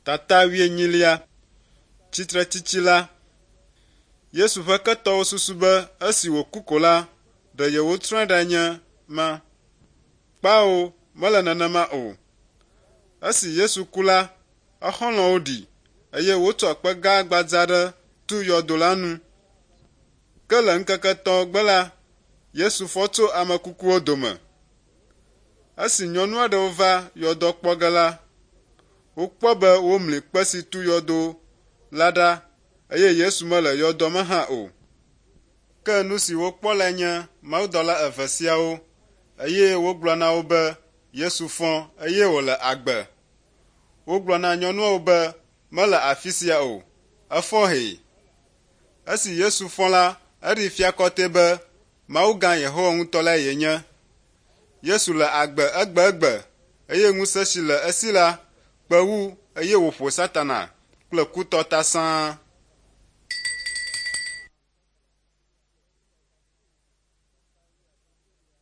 Tata wuienyilia. Tsitretsitsi la. Yesu ƒe ketɔwo susu be esi wòku ko la, ɖe yewotsrɔ̃e ɖa nye ma. Kpao, mele nenema o. Esi Yesu ku la, exɔlɔ̃wo ɖi eye wotsɔ kpe gã gbadza aɖe tu yɔdo la nu. Ke le ŋkeke etɔ̃ gbe la, Yesu fɔ tso ame kukuwo dome. Esi nyɔnu aɖewo va yɔdoa kpɔ ge la, wokpɔ be womli kpe si tu yɔdo la ɖa eye Yesu mele yɔdoa me hã o. Ke nu si wokpɔ lae nye mawudɔla eve siawo eye wogblɔ na wo be Yesu fɔ eye wòle agbe. Wogblɔ na nyɔnuawo be mele afi sia o, efɔ hee. Esi Yesu fɔ la, eɖee fia kɔtɛ be Mawu gã Yehowa ŋutɔ lae yenye. Yesu le agbe egbegbe eye ŋusẽ si le esi la kpe wu eye wòƒo Satana kple kutɔ ta sãa.